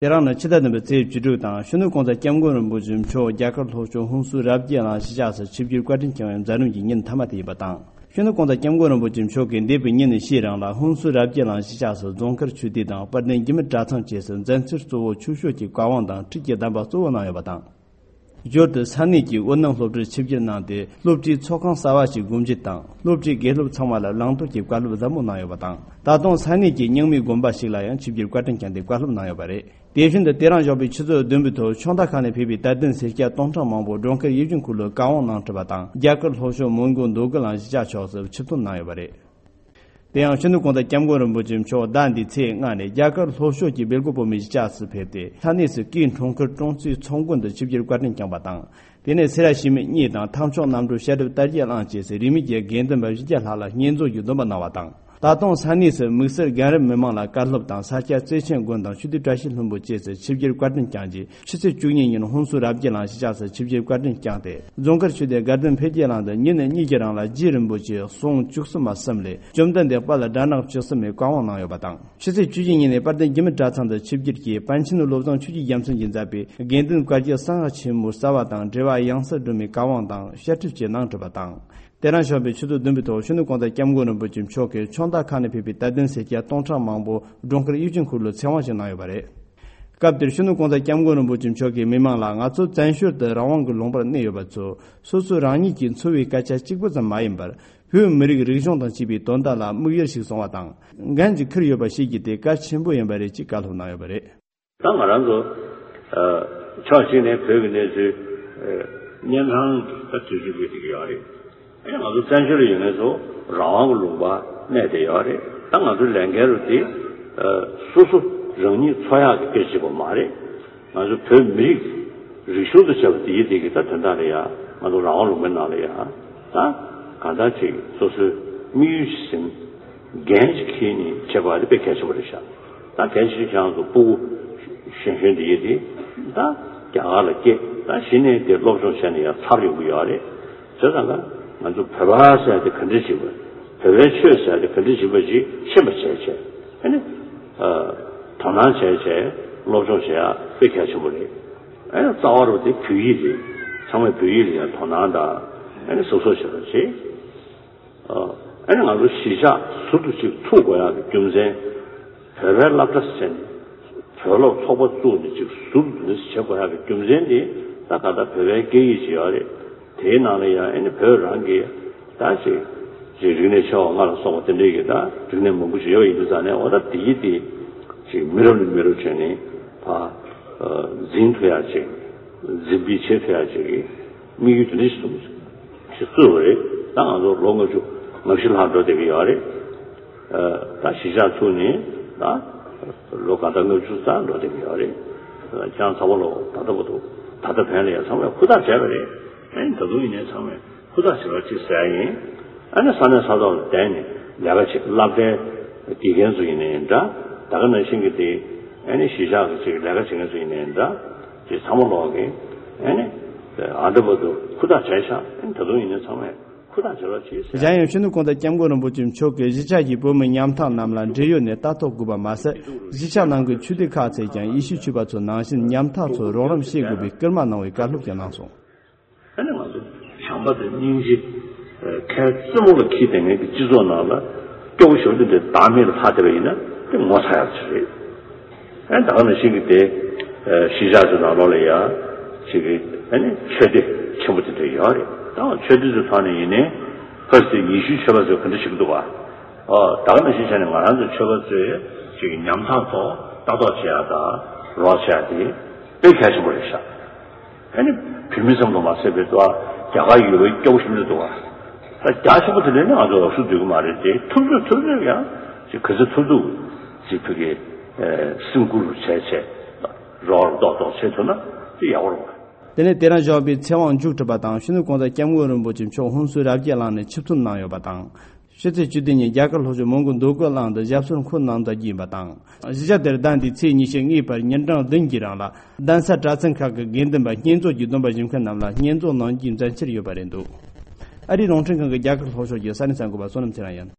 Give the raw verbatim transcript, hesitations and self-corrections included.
དེ་རིང་ནི་ཕྱི་ཟླ་བདུན་པའི་ཚེས་བཅུ་དྲུག་དང་། ཕྱི་ནུབ་གོང་ས་སྐྱབས་མགོན་རིན་པོ་ཆེ་མཆོག་རྒྱ་གར་ལྷོ་ཕྱོགས་ཧུན་སུར་རབ་རྒྱས་གླིང་གཞིས་ཆགས་སུ་ཆིབས་བསྒྱུར་བཀའ་དྲིན་བསྐྱངས་པའི་མཛད་རིམ་གྱི་ཉིན་མཐའ་མ་དེ་ཡིན་པ་དང་། ཕྱི་ནུབ་གོང་ས་སྐྱབས་མགོན་རིན་པོ་ཆེ་མཆོག་གིས་འདས་པའི་ཉིན་ཕྱེད་རིང་ལ་ཧུན་སུར་རབ་རྒྱས་གླིང་གཞིས་ཆགས་སུ་རྫོང་དཀར་ཆོས་སྡེ་དང་དཔལ་ལྡན་འཇིགས་མེད་གྲྭ་ཚང་བཅས་སུ་མཛད་འཆར་གཙོ་བོ་ཆོས་ཕྱོགས་ཀྱི་བཀའ་དབང་དང་ཁྲིད་ཀྱི་གདམས་པ་གཙོ་བོ་གནང་ཡོད་པ་དང་། ཞོར་དུ་ས་གནས་ཀྱི་དབུས་གནམ་སློབ་གྲྭར་ཆིབས་བསྒྱུར་གནང་སྟེ། སློབ་གྲྭའི་ཚོགས་ཁང་གསར་བ་ཞིག་སྒོ་འབྱེད་དང་། སློབ་གྲྭའི་དགེ་སློབ་ཚང་མ་ལ་བླང་དོར་གྱི་བཀའ་སློབ་ཟབ་མོ་གནང་ཡོད་པ་དང་། ད་དུང་ས་གནས་ཀྱི་རྙིང་མའི་དགོན་པ་ཞིག་ལ་ཡང་ཆིབས་བསྒྱུར་བཀའ་དྲིན་བསྐྱངས་ཏེ་བཀའ་སློབ་གནང་ཡོད་པ་རེད། དེ་བཞིན་དུ་དེ་རིང་ཞོགས་པའི་ཆུ་ཚོད་བདུན་པའི་ཐོག་ཕྱོགས་མཐའ་ཁག་ནས་ཕེབས་པའི་དད་ལྡན་སེར་སྐྱ་སྟོང་ཕྲག་མང་པོ་འགྲོ་མཁར་ཡིད་བཞིན་ཁུལ་ལ་བཀའ་དབང་གནང་གྲུབ་པ་དང་། རྒྱ་གར་ལྷོ་ཕྱོགས་མོན་གྷོ་མདོ་དགོན་གླིང་གཞིས་ཆགས་ཕྱོགས་སུ་ཆིབས་ཐོན་གནང་ཡོད་པ་རེད། དེ་ཡང་ཕྱི་ནུབ་གོང་ས་སྐྱབས་མགོན་རིན་པོ་ཆེ་མཆོག་ཟླ་འདིའི་ཚེས་ལྔ་ནས་རྒྱ་གར་ལྷོ་ཕྱོགས་ཀྱི་སྦེལ་ཀོབ་བོད་མིའི་གཞིས་ཆགས་སུ་ཕེབས་ཏེ། ས་གནས་སུ་སྐུའི་འཁྲུངས་སྐར་ཀྲོང་ཙེའི་ཚོགས་མགོན་དུ་ཆིབས་བསྒྱུར་བཀའ་དྲིན་བསྐྱངས་པ་དང་། དེ་ནས་སེ་ར་བྱེས་སྨད་གཉིས་དང་། ཐབས་མཆོག་རྣམ་གྲོལ་བཤད་སྒྲུབ་དར་རྒྱས་གླིང་བཅས་སུ་རིས་མེད་ཀྱི་དགེ་འདུན་པ་བཞི་བརྒྱ་ལྷག་ལ་བསྙེན་རྫོགས་ཀྱི་སྡོམ་པ་གནང་བ་དང་། ད་དུང་ས་གནས་སུ་དམིགས་བསལ་རྒན་རབས་མི་མང་ལ་བཀའ་སློབ་དང་། ས་སྐྱ་བརྩེ་ཆེན་དགོན་དང་ཆོས་སྡེ་བཀྲ་ཤིས་ལྷུན་པོ་བཅས་སུ་ཆིབས་བསྒྱུར་བཀའ་དྲིན་བསྐྱངས་རྗེས། ཕྱི་ཚེས་བཅུ་གཉིས་ཉིན་ཧུན་སུར་རབ་རྒྱས་གླིང་གཞིས་ཆགས་སུ་ཆིབས་བསྒྱུར་བཀའ་དྲིན་བསྐྱངས་ཏེ། རྫོང་དཀར་ཆོས་སྡེ་དགའ་ལྡན་འཕེལ་རྒྱས་གླིང་དུ་ཉིན་གཉིས་ཀྱི་རིང་ལ་རྗེ་རིན་པོ་ཆེའི་གསུང་བཅུ་གསུམ་པ་གསུམ་ལས། བཅོམ་ལྡན་འདས་དཔལ་དགྲ་ནག་བཅུ་གསུམ་པའི་བཀའ་དབང་གནང་ཡོད་པ་དང་། ཕྱི་ཚེས་བཅུ་བཞི་ཉིན་ནས་དཔལ་ལྡན་འཇིགས་མེད་གྲྭ་ཚང་དུ་ཆིབས་བསྒྱུར་གྱིས། པཎ་ཆེན་བློ་བཟང་ཆོས་ཀྱི་རྒྱལ་མཚན་གྱིས་མཛད་པའི་དགེ་འདུན་བཀའ་བརྒྱད་གསང་སྔགས་ཆེན་མོའི་རྩ་བ་དང་འབྲེལ་བ་ཡང་སེ་སྒྲོལ་མའི་བཀའ་དབང་དང་བཤད་ཁྲིད་བཅས་གནང་གྲུབ་པ་དང་། དེ་རིང་ཞོགས་པའི་ཆུ་ཚོད་བདུན་པའི་ཐོག་ཕྱི་ནུབ་གོང་ས་སྐྱབས་མགོན་རིན་པོ་ཆེ་མཆོག་གིས་ཕྱོགས་མཐའ་ཁག་ནས་ཕེབས་པའི་དད་ལྡན་སེར་སྐྱ་སྟོང་ཕྲག་མང་པོ་འགྲོ་མཁར་ཡིད་བཞིན་ཁུལ་ལ་ཚེ་དབང་ཞིག་གནང་ཡོད་པ་རེད། སྐབས་དེར་ཕྱི་ནུབ་གོང་ས་སྐྱབས་མགོན་རིན་པོ་ཆེ་མཆོག་གིས་མི་མང་ལ། ང་ཚོ་བཙན་བྱོལ་དུ་རང་དབང་གི་ལུང་པར་གནས་ཡོད་པ་ཚོ། སོ་སོ་རང་ཉིད་ཀྱིས་འཚོ་བའི་སྐད་ཆ་གཅིག་པུ་ཙམ་མ་ཡིན་པར། བོད་མི་རིགས་རིག་གཞུང་དང་བཅས་པའི་དོན་དག་ལ་དམིགས་ཡུལ་ཞིག་བཟུང་བ་དང་། འགན་ཅིག་འཁུར་ཡོད་པ་ཤེས་རྒྱུ་དེ་གལ་ཆེན་པོ་ཡིན་པ་རེད་ཅེས་བཀའ་སློབ་གནང་ཡོད་པ་རེད། ད་ང་རང་ཚོ་ཕྱོགས་གཅིག་ནས་བོད་ཀྱི་གནས་ཚུལ་གཉན་ཚང་གི་ད་དུས་ཚོད་ཀྱི་ཡོད་རེད། ཨེ་ང་ཚོ་བཙན་བྱོལ་ལ་ཡོད་མཁན་ཚོ་རང་དབང་གི་ལུང་པ་གནས་བསྡད་ཡོད་རེད། ད་ང་ཚོའི་ལས་འགན་རུ་དེ་སོ་སོ་རང་ཉིད་འཚོ་ཡག་གི་སྐད་ཆ་བྱེད་པ་མ་རེད། ང་ཚོ་བོད་མི་རིགས་རིག་གཞུང་དུ་བྱས་པ་དེ་ཡི་དེ་གི་ད་དོན་དག་ལ་ཡ། ང་ཚོ་རང་དབང་ལུང་པའི་ནང་ལ་ཡ། ད་གང་ལྟར་ཅིག་སོ་སོའི་དམིགས་ཡུལ་ཞིག་ཟིན། འགན་ཞིག་འཁྱེར་ནས་བྱེད་དགོས་པ་དེ་དཔེ་གལ་ཆེན་པོ་རེད་ཤག་ད་གལ་ཆེ་ཤོས་ཁྱེད་རང་ཚོ་སྤུ་གུ་གཞོན་གཞོན་དེ་ཡི་དེ་ད་རྒྱ་གར་ལ་སྐྱེས། ད་གཞི་ནས་དེ་སློབ་སྦྱོང་བྱས་ནས་ཡ་ཚར་ཡོང་གི་ཡོད་རེད། བྱས་ཙང་ཀ་ང་ཚོ་བོད་པ་ཟེར་དེ་ག་འདྲ་ཞིག་པ། བོད་པའི་ཆོས་ཟེར་དེ་ག་འདྲ་ཞིག་པ་ཞིག་ཤེས་པ་བྱས་བྱས། ཨ་ནི། དོ་སྣང་བྱས་བྱས་སློབ་སྦྱོང་བྱེད་ཡ་དཔེ་གལ་ཆེན་པོ་རེད། ཨ་ནི་རྩ་བ་རུ་དེ་བོད་ཡིག་རེད། ཚང་མས་བོད་ཡིག་ལ་ཡང་དོ་སྣང་དང་། ཨ་ནི་གཟབ་གཟབ་བྱེད་པ་བྱེད། ཨ་ནི་ང་ཚོ་གཞིས་ཆགས་ཟུར་དུ་ཅིག་ཚུགས་དགོས་ཡག་གི་རྒྱུ་མཚན། བོད་པའི་སློབ་གྲྭ་ཟེར་ནས་བོད་སློབ་ཚོགས་པ་བཙུགས་ནས་ཅིག་ཟུར་དུ་འདི་བྱེད་དགོས་ཡག་གི་རྒྱུ་མཚན་དེ་ད་ག་ད་བོད་པའི་སྐད་ཡིག་ཅིག་ཡོད་རེད། དེའི་ནང་ལ་ཡང་ཨ་ནི་བོད་རང་གི་ད་ཅིག་ཅིག་རིག་གནས་ཆེ་བ་ལྔ་ལ་སོགས་པ་དེ་འདྲའི་གི་ད་རིག་གནས་མང་པོ་ཞིག་ཡོད་པ་ཡིན་དུས་ཙང་ནས། འོ་ད་དེ་ཡི་དེ་ཅིག་མི་རབས་ནས་མི་རབས་བྱས་ནས་ཕར་འཛིན་ཐུབ་ཡག་ཅིག་འཛིན་སྤེལ་བྱེད་ཐུབ་ཡག་ཅིག་གི་དམིགས་ཡུལ་དེ་འདྲ་ཞིག་བཟུང་ཞིག་བཙུགས་པ་རེད། ད་ང་ཚོ་ལོ་ལྔ་བཅུ་ང་བཞི་ལྷག་འགྲོ་བསྡད་ཀྱི་ཡོད་རེད། ད་གཞིས་ཆགས་ཚུགས་ནས་ད་ལོ་ག་ད་ལྔ་བཅུ་ཙམ་འགྲོ་བསྡད་ཀྱི་ཡོད་རེད། ཁྱེད་རང་ཚང་མ་ལོ་ད་ལྟ་བར་དུ་ད་ལྟ་བར་ལ་ཡང་ཚང་མས་ཧུར་ཐག་བྱས་པ་རེད། ཨ་ནི་ད་དུང་ཡིན་ནའི་ཚང་མས་ཧུར་ཐག་བྱེད་རོགས་གྱིས་ཟེར་ཡ་ཡིན། ཨ་ནི་ས་གནས་ས་ཐོག་ལ་བསྡད་ནས་ལས་ཀ་བྱེད། སློབ་གྲྭའི་དགེ་རྒན་ཚོ་ཡིན་ནའི་འདྲ། ད་ག་ནང་བཞིན་གྱི་དེ་ཨ་ནི་གཞིས་ཆགས་ཀྱི་ཅིག་ལས་ཀ་བྱེད་མཁན་ཚོ་ཡིན་ནའི་འདྲ། ཅིག་ཚང་མ་ལོག་གིས་ཨ་ནི་ཨ་འདྲ་བར་དུ་ཧུར་ཐག་བྱས་ཤག་ཨ་ནི་ད་དུང་ཡིན་ནའི་ཚང་མས་ཧུར་ཐག་བྱེད་རོགས་གྱིས་ཟེར། གཞན་ཡང་ཕྱི་ནུབ་གོང་ས་སྐྱབས་མགོན་རིན་པོ་ཆེ་མཆོག་གིས་གཞིས་ཆགས་ཀྱི་བོད་མི་ཉམ་ཐག་རྣམས་ལ་འབྲེལ་ཡོད་ནས་ལྟ་རྟོག་དགོས་པ་མ་ཟད། གཞིས་ཆགས་ནང་གི་ཆོས་སྡེ་ཁག་ཚོས་ཀྱང་ཡེ་ཤུའི་ཆོས་པ་ཚོ་ནང་བཞིན་ཉམ་ཐག་ཚོར་རོགས་རམ་བྱེད་དགོས་པའི་སྐུལ་མ་གནང་བའི་བཀའ་སློབ་ཀྱང་གནང་སོང་། ཨ་ནི་ང་ཚོ་བྱམས་པ་དང་སྙིང་རྗེ། ཁའི་རྩེ་མོ་ལ་འཁྱེར་བསྡད་མཁན་གྱི་སྤྱི་ཚོགས་ནང་ལ་སྐྱོ་པོ་ཞེ་པོ་དེ་འདྲ་བདག་མེད་ལ་ལྷག་བསྡད་པ་ཡིན་ན་དེ་ངོ་ཚ་ཡག་ཅིག་རེད། ཨ་ནི་ད་ག་ནང་བཞིན་གྱི་དེ་གཞིས་ཆགས་ཚོའི་ནང་ལོགས་ལ་ཡ་ཅིག་གི་ཨ་ནི་ཆོས་སྡེ་ཆེན་པོ་དེ་འདྲ་ཡོད་རེད། ད་ཆོས་སྡེ་ཚོའི་ཐོག་ནས་ཡིན་ནའི་ཕར་ཚུར་ཡེ་ཤུའི་ཆོས་པ་ཚོས་ག་འདྲ་བྱེད་ཀྱི་འདུག་བ། ཨོ་ད་ག་ནང་བཞིན་བྱས་ནས་ང་རང་ཚོའི་ཆོས་པ་ཚོས་ཅིག་གི་ཉམ་ཐག་ཚོ་ལྟ་རྟོག་བྱེད་ཡག་དང་རོགས་བྱེད་ཡག་དེ་དཔེ་གལ་ཆེན་པོ་རེད་ཤག་ཨ་ནི་བོད་མི་ཙམ་དུ་མ་ཟད་པའི་ཏོ། རྒྱ་གར་ཡུལ་བའི་སྐྱོ་པོ་ཞིག་འདུག་བ། ད་རྒྱ་ཆེན་པོ་དེ་ལས་ནི་ང་ཚོ་ལོག་སུ་འདུག་གི་མ་རེད་དེ། ཐུབ་ཚོད་ཐུབ་ཚོད་ཡང་ཅིག་ག་ཚོད་ཐུབ་ཐུབ་ཅིག་བོད་ཀྱི་སེམས་ཁུར་བྱས་བྱས་རོགས་རོགས་ཏོག་ཏོག་བྱེད་ཐུབ་ན་དེ་ཡག་པོ་རེད་བ། དེ་ནས་དེ་རིང་ཞོགས་པའི་ཚེ་དབང་མཇུག་གྲུབ་པ་དང་། ཕྱི་ནུབ་གོང་ས་སྐྱབས་མགོན་རིན་པོ་ཆེ་མཆོག་ཧུན་སུར་རབ་རྒྱས་གླིང་ནས་ཆིབས་ཐོན་གནང་ཡོད་པ་དང་། ཕྱི་ཚེས་བཅུ་བདུན་ཉིན་རྒྱ་གར་ལྷོ་ཕྱོགས་མོན་གྷོ་མདོ་དགོན་གླིང་དུ་ཞབས་སོར་འཁོད་གནང་མཛད་རྒྱུ་ཡིན་པ་དང་། གཞིས་ཆགས་དེར་ཟླ་འདིའི་ཚེས་ཉི་ཤུ་གཉིས་བར་ཉིན་གྲངས་བདུན་གྱི་རིང་ལ་གདན་ས་གྲྭ་ཚང་ཁག་གི་དགེ་འདུན་པ་བསྙེན་རྫོགས་ཀྱི་སྡོམ་པ་བཞེས་མཁན་རྣམས་ལ་བསྙེན་རྫོགས་གནང་རྒྱུའི་མཛད་འཆར་ཡོད་པ་རེད་འདུག་ཨ་རིའི་རླུང་འཕྲིན་ཁང་གི་རྒྱ་གར་ལྷོ་ཕྱོགས་ཀྱི་ས་གནས་གསར་འགོད་པ་བསོད་ནམས་ཚེ་རིང་ཡིན།